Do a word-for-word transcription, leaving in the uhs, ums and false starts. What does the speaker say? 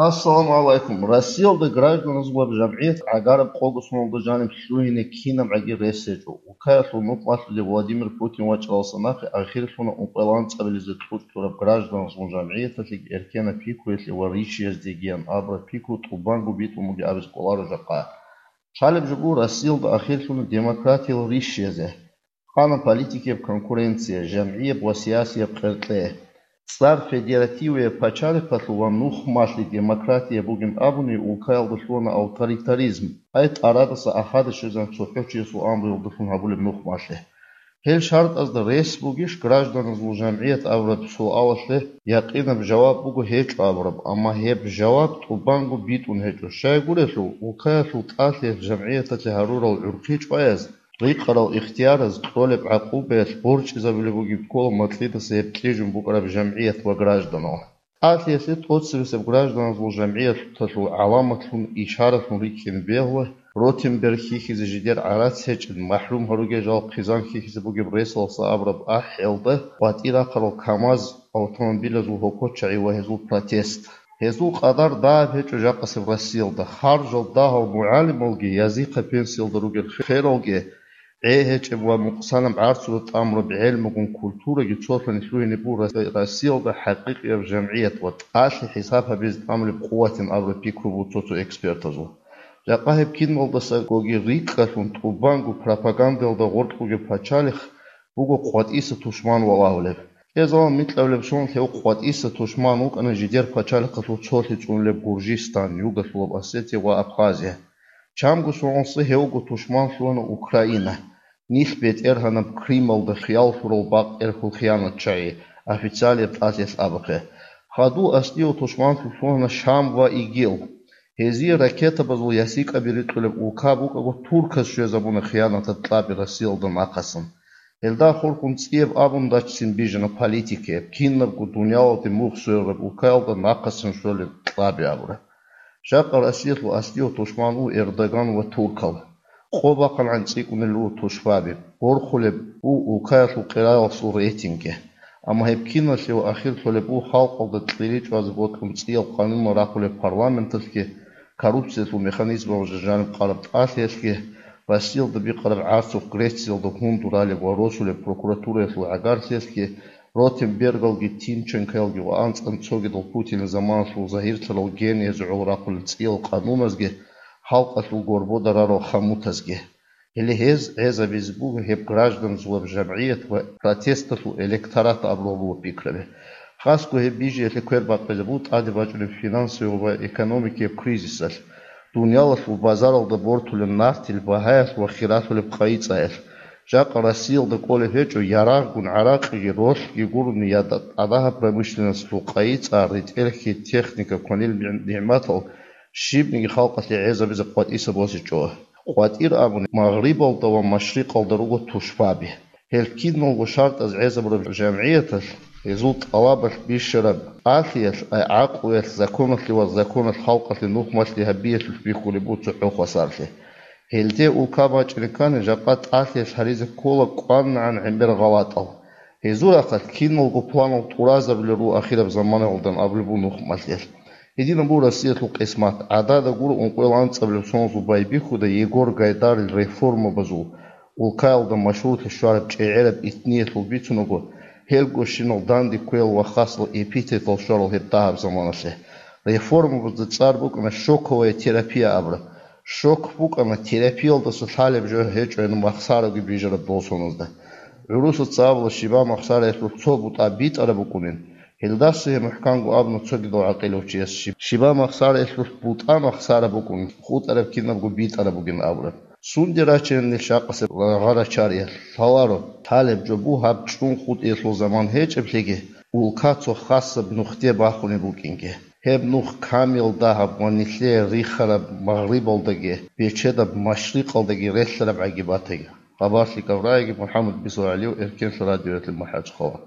Ассаламу гӀалайкум. Россиялда гражданазул жамгӀият гӀагараб къого соналда жаниб лъугьине кинабгӀаги рес гьечӀо. Улкаялъул нухмалъулев Владимир Путин вачӀаралдаса нахъе ахирлъуна ункъоялда анцӀабилеб кьучӀ кьураб гражданазул жамгӀияталъеги эркенаб пикруялъе ва ришиязегиян абураб пикру тӀубанго битӀун бугеб абизе кӀоларо жакъа. Лъалеб жо буго, Россиялда ахирлъуна демократиял ришиязде. Хана политикияб конкуренция, жамгӀияб ва сиясияб къеркье. ЦӀар федеративияб пачалихъалъул ва нухмалъи демократия бугин абуни, улкаялда лъугьана авторитаризм, ай тӀарадаса ахада щвезан цохӀо чиясул амруялдалъун гьабулеб нухмалъи. Гьел шартӀазда рес бугищ гражданазул жамгӀият абураб суалалъе якъинаб жаваб буго гьечӀо абураб, амма гьеб жаваб тӀубанго битӀун гьечӀо. Щайгурелъул, улкаялъул тӀалъиялъ жамгӀияталъе гьарурал гӀурхъи чӀваяз, рикъарал ихтияраз, кьолеб гӀакъубаялъ борчӀизабулеб бугеб ккола макьидаса гьеб кьижун букӀараб жамгӀият ва гражданал. ТӀалъиялъе тӀоцебесеб гражданазул жамгӀияталъул гӀаламатлъун, ишаратлъун рикӀкӀине бегьула, Ротенберг хьихьизе жидер гӀарац гьечӀин, махӀрум гьаруге жал хъизан хьихьизе бугеб ресалдаса абураб ахӀиялда къватӀир рахъарал КамАЗ, автомобилазул гьокочагӀи ва гьезул протест. Гьезул къадар дагьаб гьечӀо жакъасеб Россиялда. Харжал дагьал мугӀалималги язихъа пенсиялда ругел хералги, гӀе гьечӀеб ва мукъсанаб гӀарцуда тӀамураб гӀелмугун культураги цолъани лъугьине буго Рос-, Россиялда хӀакъикъияб жамгӀият ва тӀалъи хӀисаб гьабизе тӀамулеб къуватин абураб пикру буго цо-цо экспертазул. Жакъа гьеб киналдасагоги рикӀкӀалъун тӀубанго пропагандаялда гъоркь бугеб пачалихъ буго къватӀиса тушман валагьулеб. Кьезалан микьабилеб соналъ гьев къватӀиса тушман вукӀана жидер пачалихъалъул цолъи цӀунулеб Гуржистан, Югослав Осетия ва Абхазия. Чамго соналъ гьевго тушман лъугьана Украина, нилъ бетӀергьанаб Крымалда хиял лъурал бакъ-эрхул хиянатчагӀи, официалияб тӀалъиялъ абухъе. Хадув аслияв тушман лъугьана Шам ва ИГИЛ. Гьезие ракетабазул ясикӀаби рикьулеб улка букӀаго, турказ щвезабуна хиянатаб кьаби Россиялда нахъасан. Гьелда хурхун цӀияб абун дачцин бижана политикаяб, кинабго дуниялалде мугъ сверараб улкаялда нахъасан щолеб кьаби абураб. Жакъа Россиялъул аслияв тушман ву Эрдоган ва туркал. Къо бахъангӀан цӀикӀкӀунел ву тушбаби, борхулеб ву улкаялъул къираялъул рейтинги. Амма гьеб киналъе ва ахирлъулеб ву халкъалда кьери чӀвазе бокьун цӀиял къанунал рахъулеб парламенталъги, коррупциялъул механизмалда жаниб къараб тӀалъиялъги, Россиялда бикъараб гӀарцухъ Грециялда гьундуралеб ва росулеб прокуратураялъул гӀагаралъиялъги, Ротенбергалги, Тимченкоялги ва анцӀан цогидал Путинил заманалъул загьирлъарал гениязул гӀоло рахъулел цӀиял къануназги, халкъалъул горбода рарал хъамутазги. Гьеле гьез гӀезабизе буго гьеб гражданзулаб жамгӀият ва протесталъул электорат абураб буго пикраби. Хасго гьеб бижиялъе квер бакъизе буго тӀаде бачӀунеб финансовый ва экономикияб кризисалъ, дуниялалъул базаралда бортулеб нартил багьаялъ ва хиралъулеб къайи-цӀаялъ. Жакъа Россиялда кӀолеб гьечӀо ярагъгун гӀаракъиги, ролъги гурони, я тӀадагьаб промышленносталъул къайи-цӀа, ритӀел-хьи, техника, кванил нигӀматал щибниги халкъалъе гӀезабизе къватӀиса босичӀо. КъватӀир абуни, Магърибалда ва Машрикъалда руго тушбаби. Гьел киналго шартӀаз гӀезабураб жамгӀияталъ, гьезул тӀалабалъ бищараб тӀалъиялъ, гӀакълуялъ, законалъе ва законалъ халкъалъе нухмалъи гьабиялъулъ бихьулеб буго цохӀо хвасарлъи. Гьелде улка бачӀине ккани, жакъа тӀалъиялъ гьаризе ккола кӀванагӀан гӀемер гъалатӀал. Гьезул рахъалъ киналго планал тӀуразабулел руго ахираб заманаялда абулеб буго нухмалъиялъ. Гьединаб буго Россиялъул къисмат. ГӀадада гуро ункъоялда анцӀабилеб соналъул байбихьуда Егор Гайдарил реформабазул, улкаялда машгьурлъи щвараб чӀегӀераб итниялъул бицунаго, гьелгощинал данде кквеял ва хасал эпитетал щварал гьеб дагьаб заманалъе. Реформабазда цӀар букӀана шоковая терапия абураб. Шок букӀана терапиялдаса лъалеб жо гьечӀони махсараги бижараб дол соназда. ГӀурусаца абула, щибаб махсараялъулъ цо бутӀа битӀараб букӀунин. Гьелдаса гьеб мухӀканго абуна цогидал гӀакъилав чияс, щиб-, щибаб махсараялъулъ бутӀа махсара букӀун, хутӀараб кинабго битӀараб бугин абураб. Сунде рачинани шакъасеб гъарачариялъ лъаларо, лъалеб жо буго гьаб чӀун хутӀиялъул заман гьечӀеблъиги, улка цо хасаб нухде бахунеб букӀинги. Гьеб нух камил дагьаб ва нилъее рихараб Магърибалдаги, бечедаб Машрикъалдаги релълъараб гӀаги батаги. Хабар лъикӀаб рагӀиги, МухӀаммад Бисер ГӀалиев, Эркенлъа радиоялъе МахӀачхъала.